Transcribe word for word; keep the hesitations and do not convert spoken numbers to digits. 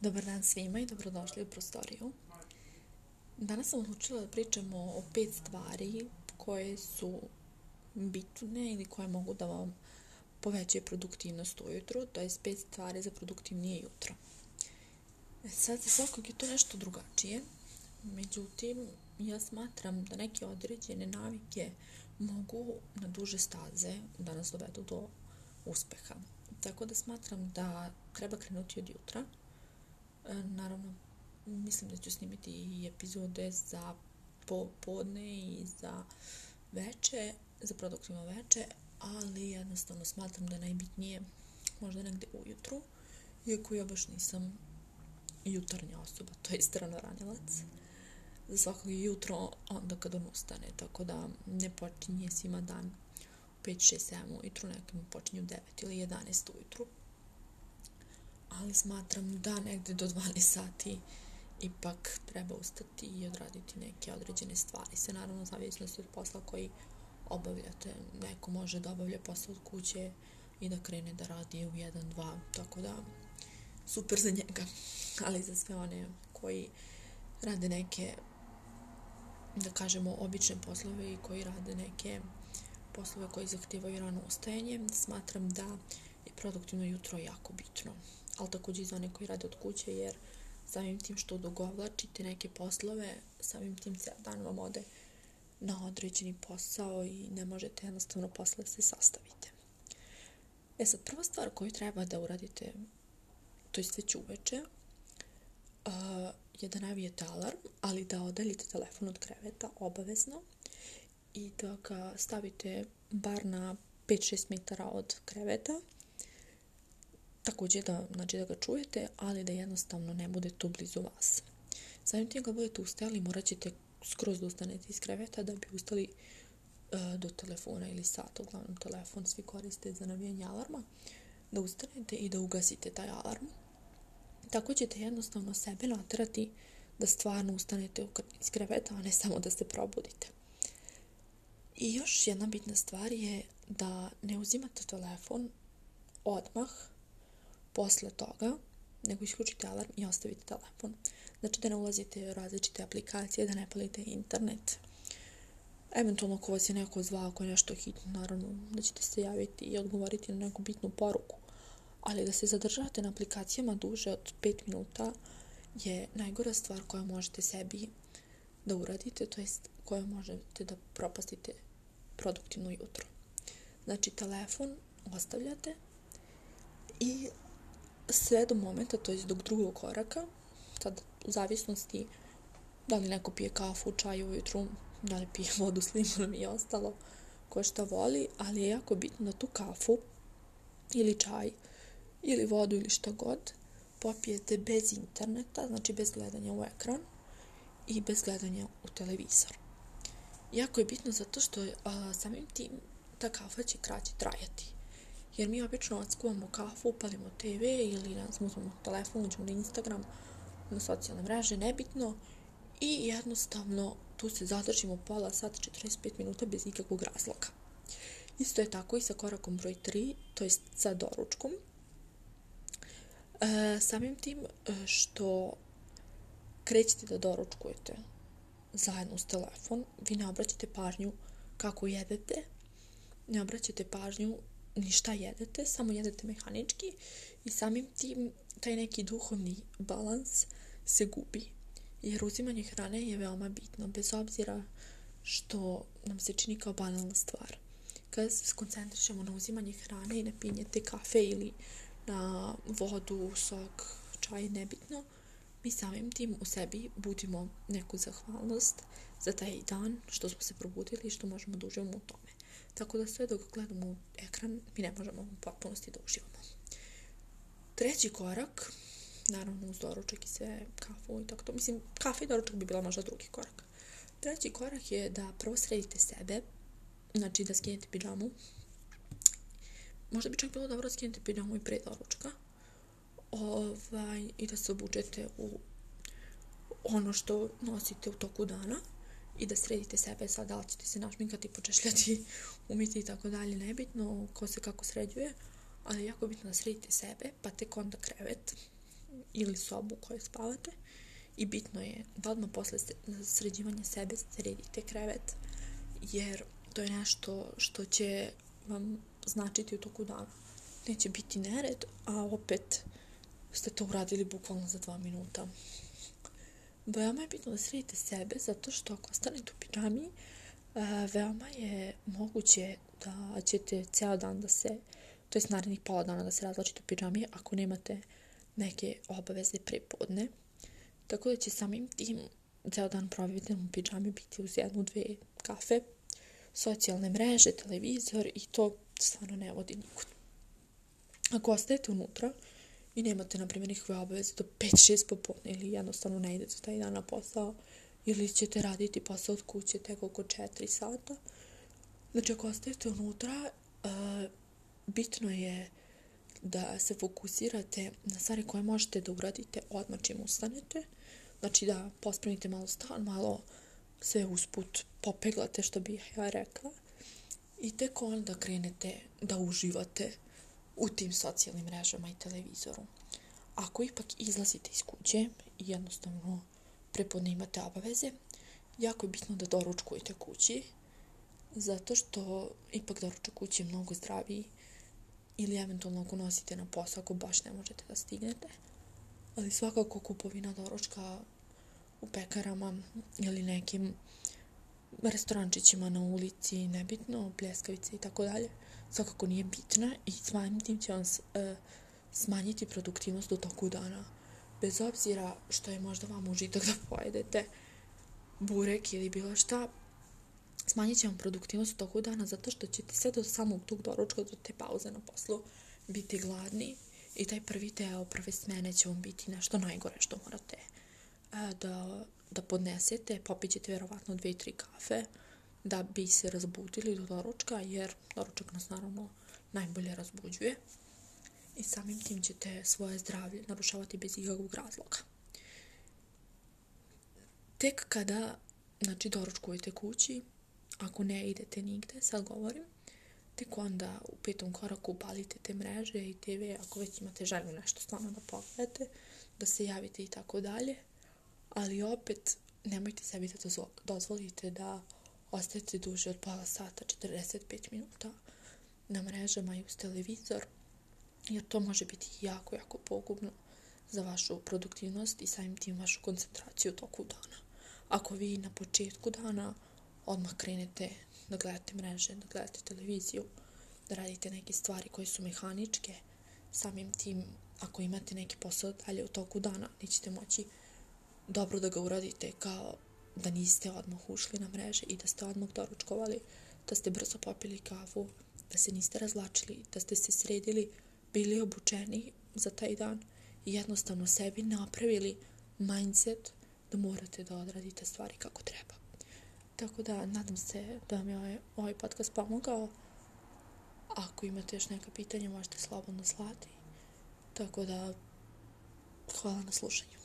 Dobar dan svima i dobrodošli u prostoriju. Danas sam odlučila da pričamo o pet stvari koje su bitne ili koje mogu da vam povećaju produktivnost ujutru, to je pet stvari za produktivnije jutro. Sad za svakog je to nešto drugačije, međutim ja smatram da neke određene navike mogu na duže staze da nas dovedu do uspeha. Tako da smatram da treba krenuti od jutra. Naravno, mislim da ću snimiti i epizode za popodne i za veče, za produktivno veče, ali jednostavno smatram da je najbitnije možda negde ujutru, iako ja baš nisam jutarnja osoba, to je ranoranjelac. Za svakog je jutro onda kad on ustane, tako da ne počinje svima dan u pet, šest, sedam ujutru, nekim počinju u devet ili jedanaest ujutru. Ali smatram da negde do dvanaest sati ipak treba ustati i odraditi neke određene stvari. Sve naravno zavisnosti od posla koji obavljate. Neko može da obavlja posao od kuće i da krene da radi u jedan, dva, tako da super za njega. Ali za sve one koji rade neke, da kažemo, obične poslove i koji rade neke poslove koji zahtevaju rano ustajanje, smatram da je produktivno jutro jako bitno. Ali također i za one koji rade od kuće, jer samim tim što odugovlačite neke poslove, samim tim se dan vam ode na određeni posao i ne možete jednostavno posle se sastavite. E sad, prva stvar koju treba da uradite, to je već uveče, uh, je da navijete alarm, ali da odaljite telefon od kreveta, obavezno, i da ga stavite bar na pet do šest metara od kreveta. Također da, znači da ga čujete, ali da jednostavno ne bude tu blizu vas. Samim tim kad budete ustajali, morat ćete skroz da ustanete iz kreveta da bi ustali uh, do telefona ili sata, uglavnom telefon svi koriste za navijanje alarma, da ustanete i da ugasite taj alarm. Tako ćete jednostavno sebe naterati da stvarno ustanete iz kreveta, a ne samo da se probudite. I još jedna bitna stvar je da ne uzimate telefon odmah posle toga, nego isključite alarm i ostavite telefon. Znači da ne ulazite u različite aplikacije, da ne palite internet. Eventualno ako vas je neko zvao, ako je nešto hitno, naravno da ćete se javiti i odgovoriti na neku bitnu poruku. Ali da se zadržavate na aplikacijama duže od pet minuta je najgora stvar koju možete sebi da uradite, to jest koju možete da propastite produktivno jutro. Znači telefon ostavljate i sve do momenta, to je do drugog koraka, sad u zavisnosti da li neko pije kafu, čaj ujutru, da li pije vodu s limunom i ostalo, ko šta voli, ali je jako bitno da tu kafu ili čaj ili vodu ili šta god popijete bez interneta, znači bez gledanja u ekran i bez gledanja u televizor. Jako je bitno zato što a, samim tim ta kafa će kraće trajati. Jer mi obično odskuvamo kafu, upalimo te ve ili ne znam, uzmemo telefon, uđemo na Instagram, na socijalne mreže, nebitno, i jednostavno tu se zadržimo pola sata, četrdeset pet minuta bez ikakvog razloga. Isto je tako i sa korakom broj tri, to je sa doručkom. E, samim tim što krećete da doručkujete zajedno uz telefon, vi ne obraćate pažnju kako jedete, ne obraćate pažnju ni šta jedete, samo jedete mehanički i samim tim taj neki duhovni balans se gubi. Jer uzimanje hrane je veoma bitno, bez obzira što nam se čini kao banalna stvar. Kada se skoncentrišemo na uzimanje hrane i na pijenje te kafe ili na vodu, sok, čaj, nebitno, mi samim tim u sebi budimo neku zahvalnost za taj dan što smo se probudili i što možemo da uživamo u tome. Tako da sve dok gledamo u ekran, mi ne možemo u potpunosti da uživamo. Treći korak, naravno uz doručak i sve, kafu i tako to. Mislim, kafa i doručak bi bila možda drugi korak. Treći korak je da prvo sredite sebe, znači da skinete pidžamu. Možda bi čak bilo dobro skinete pidžamu i pre doručka. Ovaj, i da se obučete u ono što nosite u toku dana i da sredite sebe. Sad da li ćete se našminkati, počešljati, umiti i tako dalje, nebitno ko se kako sređuje, ali jako bitno da sredite sebe, pa tek onda krevet. ili sobu u kojoj spavate i bitno je da odmah posle sređivanja sebe sredite krevet, jer to je nešto što će vam značiti u toku dana. Neće biti nered, a opet ste to uradili bukvalno za dva minuta. Veoma je bitno da sredite sebe, zato što ako ostanete u pidžami, veoma je moguće da ćete ceo dan da se, to je narednih pola dana da se razlačite u pidžami ako nemate neke obaveze prepodne. Tako da će samim tim ceo dan proveden u pidžami biti uz jednu, dve kafe, socijalne mreže, televizor i to stvarno ne vodi nikud. Ako ostajete unutra i nemate, na primjer, nikakve obaveze do pet šest popodne ili jednostavno ne idete taj dan na posao ili ćete raditi posao od kuće tek oko četiri sata, znači ako ostajete unutra, uh, bitno je da se fokusirate na stvari koje možete da uradite odmah čim ustanete, znači da pospremite malo stan, malo sve usput popeglate, što bih ja rekla, i tek onda krenete da uživate u tim socijalnim mrežama i televizoru. Ako ipak izlazite iz kuće i jednostavno prepodne imate obaveze, jako je bitno da doručkujete kući, zato što ipak doručak kući je mnogo zdraviji, ili eventualno ako nosite na posao ako baš ne možete da stignete, ali svakako kupovina doručka u pekarama ili nekim restorančićima na ulici, nebitno, pljeskavice i tako dalje, svakako nije bitna i samim tim će vam e, smanjiti produktivnost u toku dana. Bez obzira što je možda vam užitak da pojedete burek ili bilo šta, smanjit će vam produktivnost u toku dana zato što ćete sve do samog tog doručka, do te pauze na poslu, biti gladni i taj prvi deo, prve smene će vam biti nešto najgore što morate e, da, da podnesete. Popit ćete vjerovatno dve, tri kafe da bi se razbudili do doručka, jer doručak nas naravno najbolje razbuđuje i samim tim ćete svoje zdravlje narušavati bez ikakvog razloga. Tek kada, znači, doručkujete kući, ako ne idete nigde, sad govorim, tek onda u petom koraku upalite te mreže i te ve, ako već imate želju nešto stvarno da pogledate, da se javite i tako dalje, ali opet nemojte sebi da dozvolite da ostajete duže od pola sata, četrdeset pet minuta na mrežama i uz televizor, jer to može biti jako, jako pogubno za vašu produktivnost i samim tim vašu koncentraciju u toku dana. Ako vi na početku dana odmah krenete da gledate mreže, da gledate televiziju, da radite neke stvari koje su mehaničke, samim tim ako imate neki posao dalje u toku dana, nećete moći dobro da ga uradite kao da niste odmah ušli na mreže i da ste odmah doručkovali, da ste brzo popili kafu, da se niste razlačili, da ste se sredili, bili obučeni za taj dan i jednostavno sebi napravili mindset da morate da odradite stvari kako treba. Tako da, nadam se da vam je ovaj, ovaj podcast pomogao. Ako imate još neka pitanja, možete slobodno slati. Tako da, hvala na slušanju.